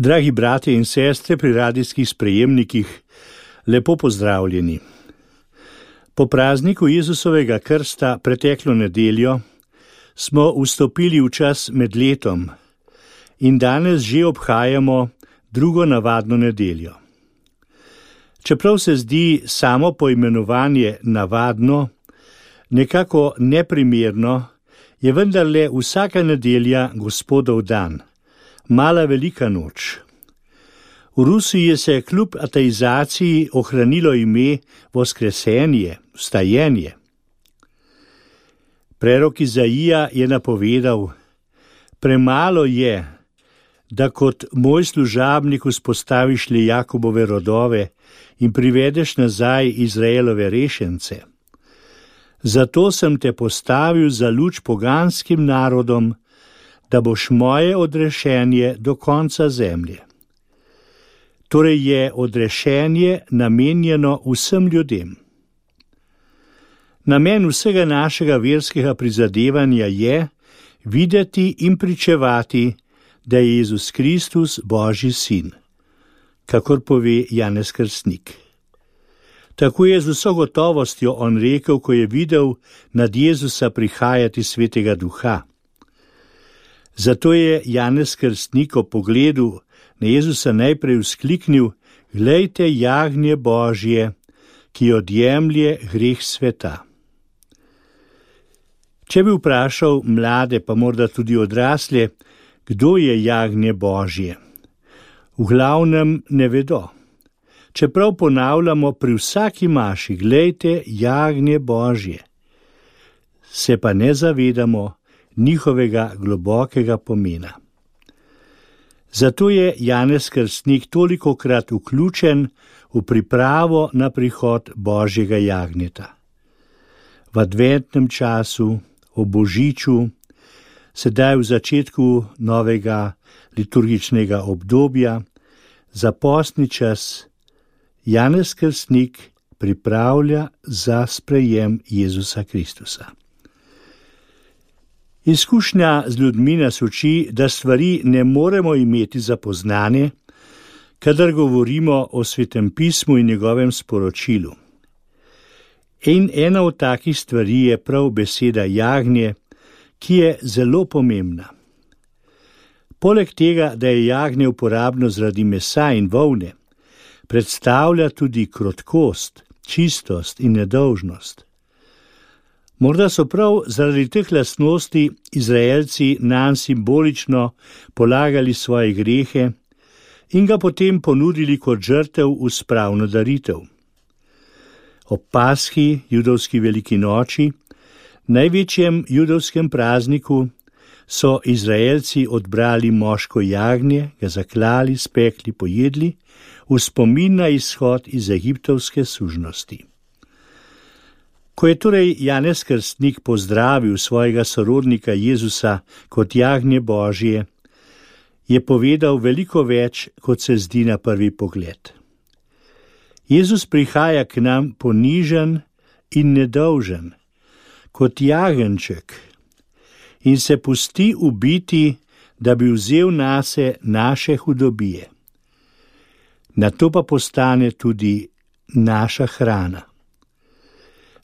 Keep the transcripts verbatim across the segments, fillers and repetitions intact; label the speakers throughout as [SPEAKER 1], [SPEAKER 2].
[SPEAKER 1] Dragi bratje in sestre pri radijskih sprejemnikih, lepo pozdravljeni. Po prazniku Jezusovega krsta preteklo nedeljo smo vstopili v čas med letom in danes že obhajamo drugo navadno nedeljo. Čeprav se zdi samo poimenovanje navadno nekako neprimerno, je vendarle vsaka nedelja Gospodov dan, mala velika noč. V Rusiji se kljub ateizaciji ohranilo ime Voskresenje, vstajenje. Prerok Izaija je napovedal: premalo je, da kot moj služabnik vzpostaviš le Jakobove rodove in privedeš nazaj Izraelove rešence. Zato sem te postavil za luč poganskim narodom, da boš moje odrešenje do konca zemlje. Torej je odrešenje namenjeno vsem ljudem. Namen vsega našega verskega prizadevanja je videti in pričevati, da je Jezus Kristus Božji sin, kakor pove Janez Krstnik. Tako je z vso gotovostjo on rekel, ko je videl nad Jezusa prihajati Svetega Duha. Zato je Janez Krstnik ob pogledu na Jezusa najprej vzkliknil: glejte jagnje Božje, ki odjemlje greh sveta. Če bi vprašal mlade, pa morda tudi odrasle, kdo je jagnje Božje, v glavnem ne vedo. Čeprav ponavljamo pri vsaki maši: glejte jagnje Božje, se pa ne zavedamo njihovega globokega pomena. Zato je Janez Krstnik tolikokrat vključen v pripravo na prihod Božjega jagnjeta. V adventnem času, ob božiču, sedaj v začetku novega liturgičnega obdobja, za postni čas Janez Krstnik pripravlja za sprejem Jezusa Kristusa. Izkušnja z ljudmi nas uči, da stvari ne moremo imeti za poznane, kadar govorimo o Svetem pismu in njegovem sporočilu. In ena od takih stvari je prav beseda jagnje, ki je zelo pomembna. Poleg tega, da je jagnje uporabno zaradi mesa in volne, predstavlja tudi krotkost, čistost in nedolžnost. Morda so prav zaradi teh lastnosti Izraelci nanj simbolično polagali svoje grehe in ga potem ponudili kot žrtev v spravno daritev. Ob Paski, judovski veliki noči, največjem judovskem prazniku, so Izraelci odbrali moško jagnje, ga zaklali, spekli, pojedli, v spomin na izhod iz egiptovske sužnosti. Ko je torej Janez Krstnik pozdravil svojega sorodnika Jezusa kot jagnje Božje, je povedal veliko več, kot se zdi na prvi pogled. Jezus prihaja k nam ponižen in nedolžen, kot jagenjček, in se pusti ubiti, da bi vzel nase naše hudobije. Nato pa postane tudi naša hrana.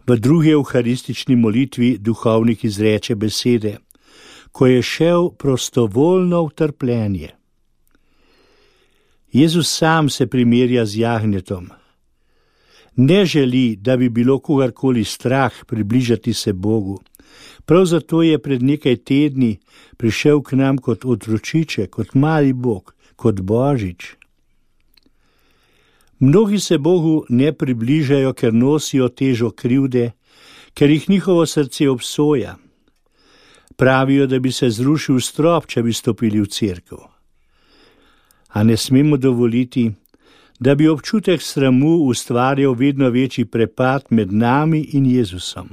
[SPEAKER 1] V drugi evharistični molitvi duhovnik izreče besede: ko je šel prostovoljno v trpljenje. Jezus sam se primerja z jagnjetom. Ne želi, da bi bilo kogarkoli strah približati se Bogu. Prav zato je pred nekaj tedni prišel k nam kot otročiček, kot mali Bog, kot Božič. Mnogi se Bogu ne približajo, ker nosijo težo krivde, ker jih njihovo srce obsoja. Pravijo, da bi se zrušil strop, če bi stopili v cerkev. A ne smemo dovoliti, da bi občutek sramu ustvarjal vedno večji prepad med nami in Jezusom.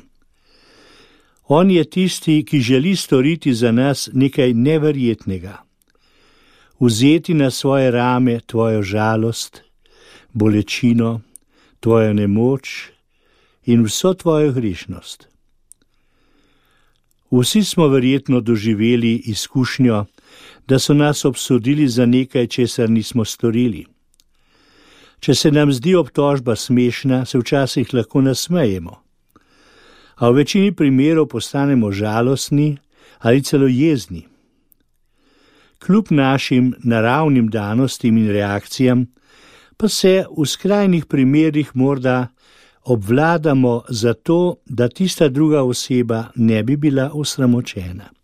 [SPEAKER 1] On je tisti, ki želi storiti za nas nekaj neverjetnega. Vzeti na svoje rame tvojo žalost, bolečino, tvojo nemoč in vso tvojo grešnost. Vsi smo verjetno doživeli izkušnjo, da so nas obsodili za nekaj, česar nismo storili. Če se nam zdi obtožba smešna, se včasih lahko nasmejemo, a v večini primerov postanemo žalostni ali celo jezni. Kljub našim naravnim danostim in reakcijam, pa se v skrajnih primerih morda obvladamo zato, da tista druga oseba ne bi bila osramočena.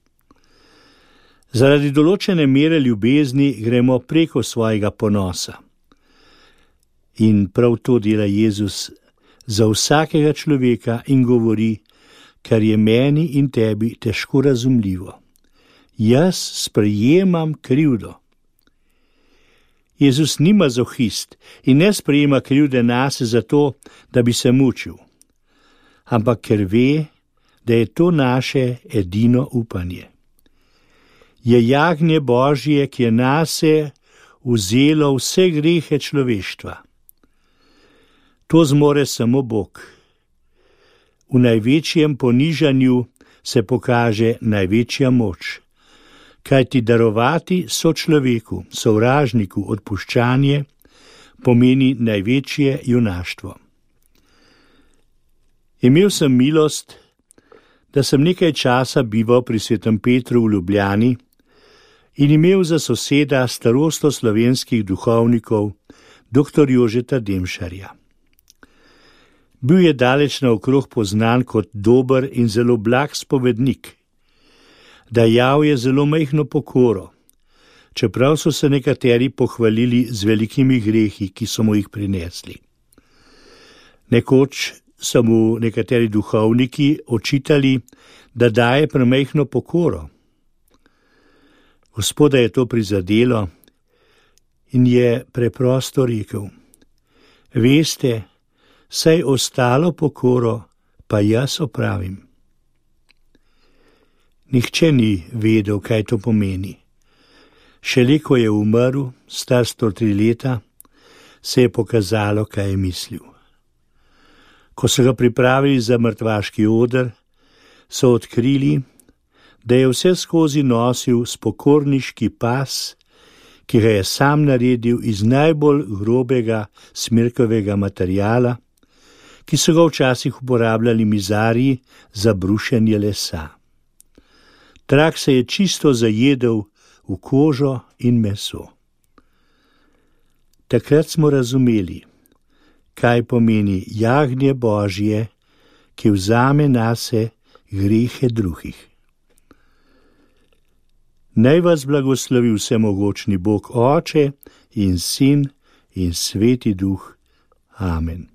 [SPEAKER 1] Zaradi določene mere ljubezni gremo preko svojega ponosa. In prav to dela Jezus za vsakega človeka in govori, kar je meni in tebi težko razumljivo. Jaz sprejemam krivdo. Jezus ni mazohist in ne sprejema krivde nase zato, da bi se mučil, ampak ker ve, da je to naše edino upanje. Je jagnje Božje, ki je nase vzelo vse grehe človeštva. To zmore samo Bog. V največjem ponižanju se pokaže največja moč. Kajti darovati sočloveku, sovražniku odpuščanje pomeni največje junaštvo. Imel sem milost, da sem nekaj časa bival pri svetem Petru v Ljubljani in imel za soseda starosto slovenskih duhovnikov, doktor Jožeta Demšarja. Bil je daleč naokrog poznan kot dober in zelo blag spovednik. Dajal je zelo majhno pokoro, čeprav so se nekateri pohvalili z velikimi grehi, ki so mu jih prinesli. Nekoč so mu nekateri duhovniki očitali, da daje premajhno pokoro. Gospoda je to prizadelo in je preprosto rekel: Veste, saj ostalo pokoro pa jaz opravim. Nihče ni vedel, kaj to pomeni. Šele ko je umrl, star sto tri leta, se je pokazalo, kaj je mislil. Ko so ga pripravili za mrtvaški oder, so odkrili, da je vse skozi nosil spokorniški pas, ki ga je sam naredil iz najbolj grobega smirkovega materiala, ki so ga včasih uporabljali mizarji za brušenje lesa. Trak se je čisto zajedel v kožo in meso. Takrat smo razumeli, kaj pomeni jagnje Božje, ki vzame nase grehe drugih. Naj vas blagoslovi vsemogočni Bog Oče in Sin in Sveti Duh. Amen.